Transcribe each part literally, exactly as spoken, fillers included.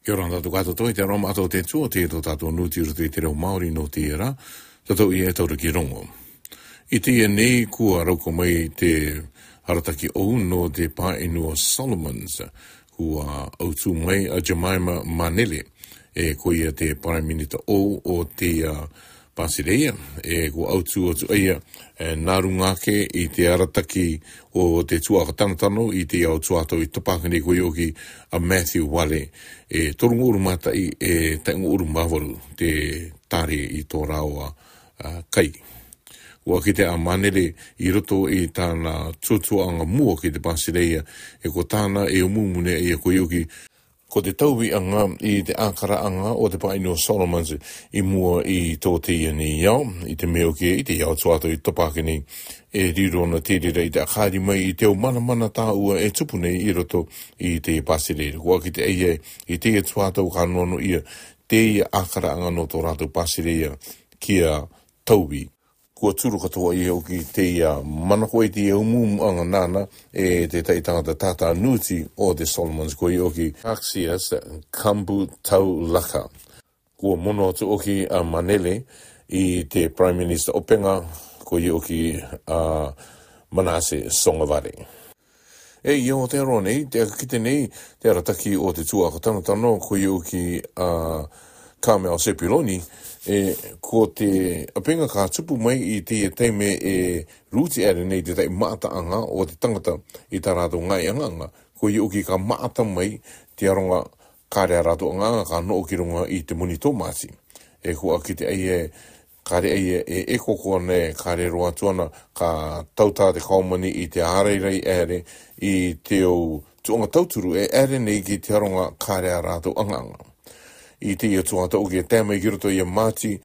Kia ora na tātou katoa, te aro mato te tua te to tātou nūti i roto i te reo Māori nō teie rā. Tātou ia e taura ki rongo. I teie nei kua rauko mai te arataki ou nō te pāʻinu o Solomons. Kua autū mai a Jemima Manele, e ko ia te Prime Minister ou o te Pasirēia, e kua autū atu a ia, e nā runga ake i te arataki o te tuaʻaka tanotano i te ao tuatau i tapakini, koia hoki a Matthew Wale, e toru ngū uru mā taʻi, e taʻi ngū uru mā varu te tare i tō rāua kai. Kua kite a Manele i roto i tāna tuatuaʻanga mua ki te Pasirēia, e ko tāna e umu mune ia koia hoki ko te tauviʻanga i te ʻākaraʻanga o te pāʻinu o Solomons i mua i tō teie nei ao, i te mea hoki i te ao tuatau i tapakini, e riro na te reira i te ʻakari mai i te au manamana tāua e tupu nei i roto i te Pasirēia. Kua kite a ia i teie tuatau ka nono ia teie ʻākaraʻanga nō tō rātou Pasirēia kia tauvi. Kua turu katoa ia hoki teie manako i teie umumuʻanga nāna e te taʻi tangata tātā nūti o te Solomons, koia hoki Axius Kambu Taulaka. Kua mono atu hoki a Manele i te Prime Minister ʻopenga, koia hoki a Manase Sogavare. E i Aotearoa nei, te aka kite nei te arataki o te tuaʻaka tanotano, koia hoki a Carmel Sepuloni, e ko te ʻapenga ka tupu mai i teie taime e rūti ʻere nei te taʻi maʻataʻanga o te tangata i tā rātou ngaahi ʻaŋaʻaŋa, koia hoki ka maʻata mai te aronga kare a rātou ʻaŋaʻaŋa ka noʻo ki runga i te moni tōmāti. E kua kite a ia e kare a ia e e ko ko nei kare roa atu ana ka tautā te kaomani i te ʻārairai ʻere i te au tuaʻanga tauturu e ʻere nei ki te aronga kare a rātou ʻaŋaʻaŋa. I teie tuatau hoki e tae mai ki roto ia Māti,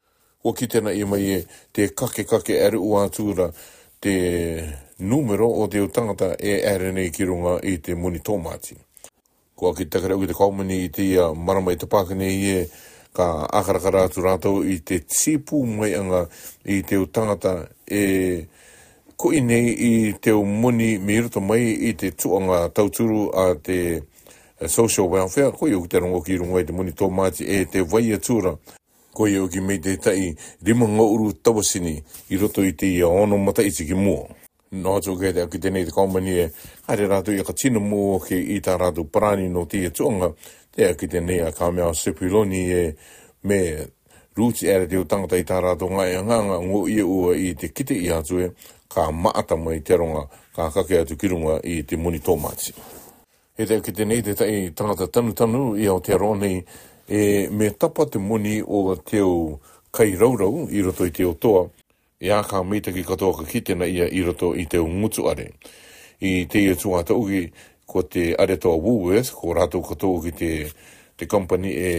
kua kite na ia mai e te kakekake ʻere ua atu ra te nūmero o te au tangata e ʻere nei ki runga i te moni tōmāti. Kua kite takere hoki te kaomani i teie marama i tapakini e ka ʻākarakara atu rātou i te tīpū maiʻanga i te au tangata e koʻi nei i te au moni mei roto mai i te tuaʻanga tauturu a te social welfare, koia hoki te rongo ki runga i te moni tōmāti e te vai atu ra. Koia hoki mei te taʻi rima ngū uru tauatini i roto i teie ono mataʻiti ki mua. Noa atu hoki te aka kite nei te kaomani e kare rātou i aka tino mua hoki i tā rātou parani nō teie tuaʻanga, te aka kite nei a Carmel Sepuloni e me rūti ʻere te au tangata i tā rātou ngaahi ʻaŋaʻaŋa, ngō ia ua i te kite i atu e ka maʻata mai te aronga ka kake atu ki runga i te moni tōmāti. E te aka kite nei te taʻi tangata tanutanu i Aotearoa nei, e me tapa te moni o te au kairaurau i roto i te au toa, e a ka meitaki katoa ka kite na ia i roto i te au ngutu ʻare. I teie tuatau hoki ko te ʻare toa Woolworths, ko rātou katoa hoki te, te kampani e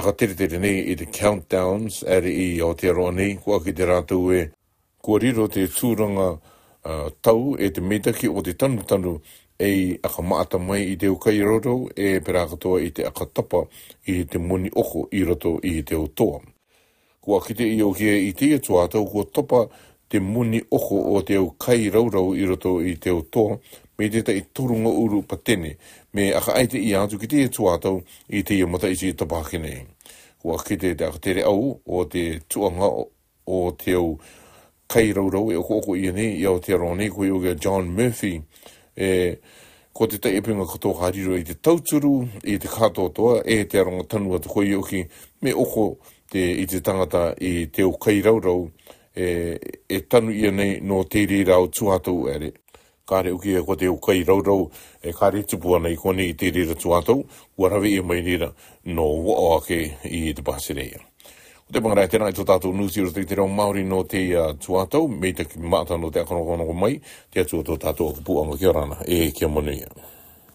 aka teretere nei i te Countdowns ʻare i Aotearoa nei, kua kite rātou e kua riro te tūranga tau e te meitaki o te tanutanu e i aka maʻata mai i te au kairaurau e pērā katoa i te aka tapa i te moni ʻoko i roto i te au toa. Kua kite ia hoki e i teie tuatau kua tapa te moni ʻoko o te au kairaurau i roto i te au toa, mei te taʻi toru ngū uru patene, me aka ʻaita ia atu ki teie tuatau i teie mataʻiti i tapakini. Kua kite te aka tere au o te tuaʻanga o te au kairaurau e ʻokoʻoko ia nei i Aotearoa nei, koia hoki a John Murphy, e ko te taʻi ʻapenga katoa ka riro i te tauturu i te kātoatoa e te aronga tanu atu, koia hoki me ʻoko te, i te tangata i te au kairaurau e, e tanu ia nei nō te reira au tuatau ʻere. Kare hoki e ko te au kairaurau e kare tupu ana i konei i te reira tuatau, kua rave ia mai reira nō vaʻo ake i te Pasirēia. Ko te pangarā e tēnā i tō tātou nūti i roto i te reo Māori nō teie tuatau, meitaki maʻata nō te aka rongorongo mai, te Atua tō tātou aka puʻanga. Kia ora na, e kia manuia.